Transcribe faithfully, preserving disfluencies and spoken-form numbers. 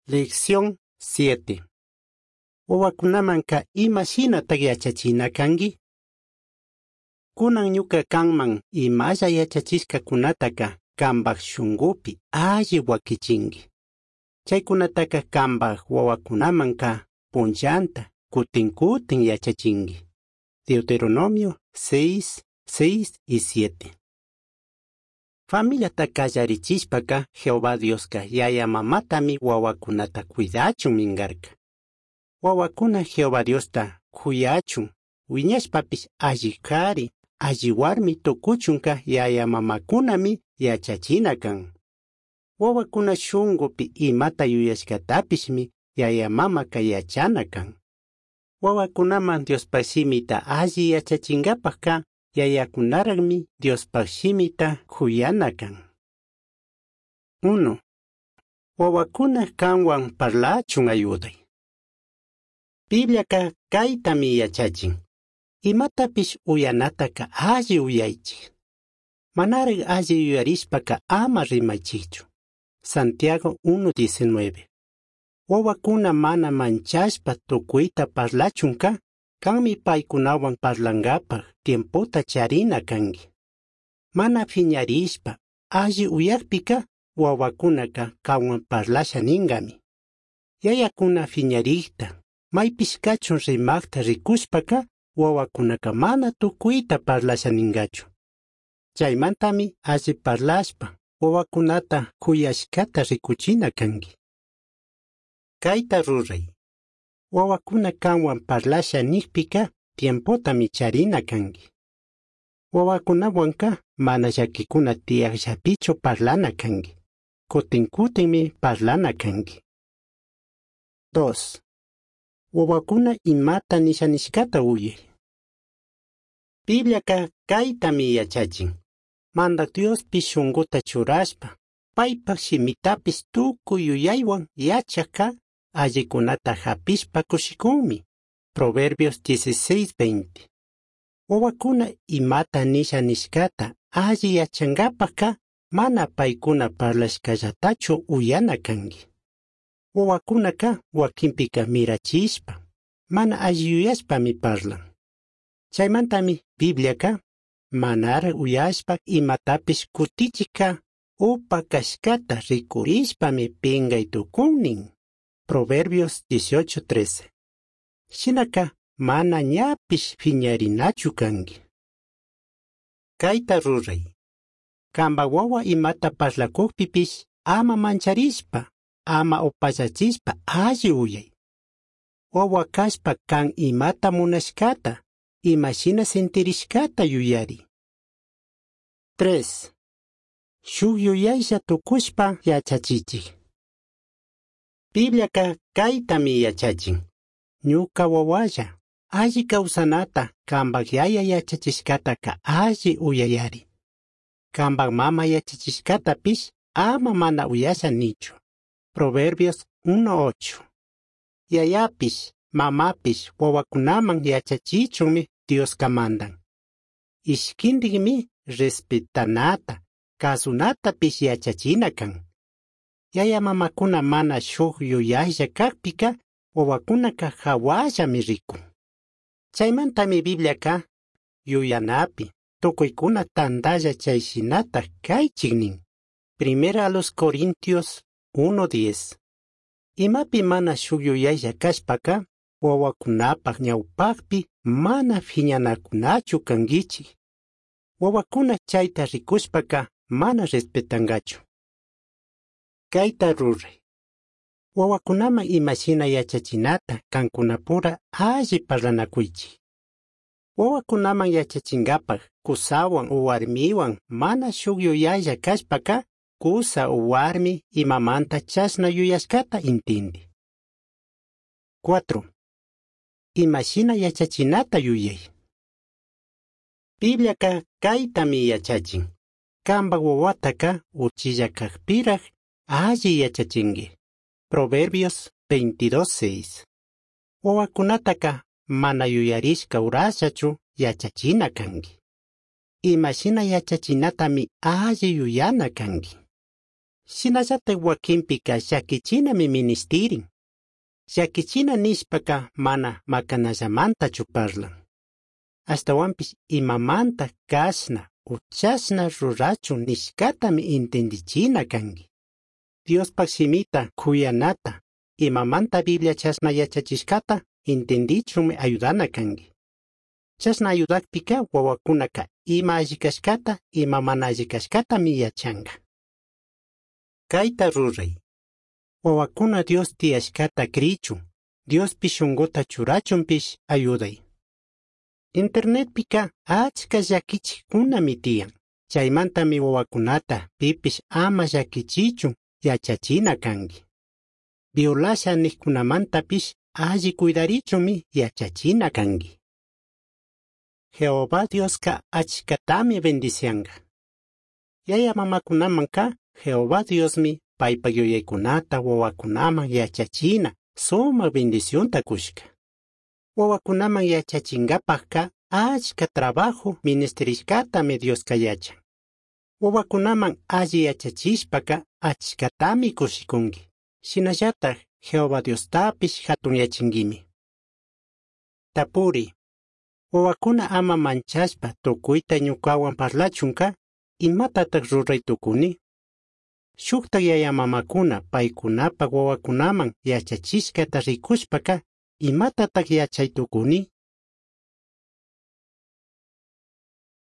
Lección siete. Wawakunamanka ima shinatak yachachina kanki? Kunan ñuka kanman imalla yachachishkakunataka kanpak shunkupi alli wakichinki. Chaykunataka kanpak wawakunamanka punllanta kutin kutin yachachinki. Deuteronomio seis, seis y siete. Familiata kallarichishpaka Jehová Dioska yaya mamatami wawakunata cuidachun minkarka. Wawakuna Jehová Diosta kuyachun, wiñashpapish alli kari, alli warmi tukuchunka yaya mamakunami yachachina kan. Wawakuna shunkupi imata yuyashkatapishmi yaya mamaka yachana kan. Wawakunaman Diospaj shimita alli yachachinkapajka yayakunaraqmi Diospaj shimita kuyana kan. Uno. Wawakuna kanwan parlachun ayuday. Bibliaka kaytami yachachin. Imatapish uyanataka alli uyaychik. Manaraq alli yuyarishpaka ama rimaychikchu. Santiago uno diecinueve. Wawakuna mana manchashpa tukuyta parlachunka, kanmi paykunawan parlankapaj tiempota charina kanki. Mana phiñarishpa alli uyakpika wawakunaka kanwan parlasha ninkami. Yayakuna phiñarikta, maypish kachun rimakta rikushpaka wawakunaka mana tukuyta parlasha ninkachu. Chaymantami alli parlashpa wawakunata kuyashkata rikuchina kanki. Kayta ruray. Wawakuna kanwan parlasha nikpika tiempotami charina kanki. Wawakunawanka mana llakikuna tiyakllapichu parlana kanki. Kutin kutinmi parlana kanki. Dos. Wawakuna imata nisha nishkata uyay. Bibliaka kaytami yachachin. Mandak Diospi shunkuta churashpa, paypak shimitapish tukuy yuyaywan yachakka allikunata hapishpa kushikunmi. Proverbios dieciséis veinte. Wawakuna imata nisha nishkata alli yachankapajka mana paykuna parlashkallatachu uyana kanki. Wawakunaka wakinpika mirachishpa, mana alli yuyashpami parlan. Chaymantami Bibliaka manara uyashpa imatapish kutichika upa kashkata rikurishpami pinkay tukunnin. Proverbios dieciocho trece. Shinaka mana ñapish phiñarinachu kanki. Kayta ruray. Kanpak wawa imata parlakukpipish ama mancharishpa, ama upallachishpa alli uyay. Wawa kashpa kan imata munashkata, imashina sentirishkata yuyari. Tres. Shuk yuyaylla tukushpa yachachichik. Bibliaka kaytami yachachin. Ñuka wawalla, alli kawsanata kanpak yaya yachachishkataka alli uyayari. Kanpak mama yachachishkatapish ama mana uyasha nichu. Proverbios uno ocho. Yayapish, mamapish wawakunaman yachachichunmi Dioska mandan. Ishkintikmi respetanata, kasunatapish yachachina kan. Yaya mamakuna mana shuk yuyaylla kakpika wawakunaka hawallami rikun. Chaymantami Bibliaka yuyanapi tukuykuna tantalla chayshinata kaychik nin. Primera a los Corintios uno diez. Imapi mana shuk yuyaylla kashpaka wawakunapaj ñawpakpi mana phiñanakunachu kankichik. Wawakuna chayta rikushpaka mana respetankachu. Kayta ruray. Wawakunaman imashina yachachinata kankunapura alli parlanakuychik. Wawakunaman yachachinkapaj kusawan o warmiwan mana shuk yuyaylla kashpaka kusa o warmi imamanta chashna yuyashkata intindi. Cuatro. Imashina yachachinata yuyay. Bibliaka kaytami yachachin. Kanpak wawataka uchilla kakpiraj alli yachachinki. Proverbios veintidós seis. Wawakunataka mana yuyarishka urashachu yachachina kanki. Imashina yachachinatami alli yuyana kanki. Shinallataj huaquinpica llaquichinami minishtirin. Llaquichina nishpaca mana macanallamantachu parlan. Ashtahuanpish imamanta cashna o chashna rurachun nishcatami intindichina cangui. Diospaj shimita cuyanata, imamanta Biblia chashna yachachishcata intindichunmi ayudana cangui. Chashna ayudajpica huahuacunaca ima alli cashcata, ima mana alli cashcatami yachanga. Caita rurai. Huahuacuna Dios tiyashcata crichun, Diospi shunguta churachunpish ayudai. Internetpica achca llaquichicunami tiyan. Chaimantami huahuacunata pipish ama llaquichichun yachachina cangui. Violasha nijcunamantapish alli cuidarichunmi yachachina cangui. Jehová Diosca achcatami bendicianga. Yaya mamacunamanca Jehová Diosmi paipa yuyaycunata huahuacunaman yachachina sumaj bendicionta cushca. Huahuacunaman yachachingapajca achca trabajo ministrishcatami Diosca yachan. Huahuacunaman alli yachachishpaca achcatami cushicungui. Shinallataj Jehová Diostapish jatunyachinguimi. Tapuri. Huahuacuna ama manchashpa tucuita ñucahuan parlachunca imatataj rurai tucuni? Shujtaj yaya mamakuna paicunapaj huahuacunaman yachachishcata ricushpaca imatataj yachai tucuni?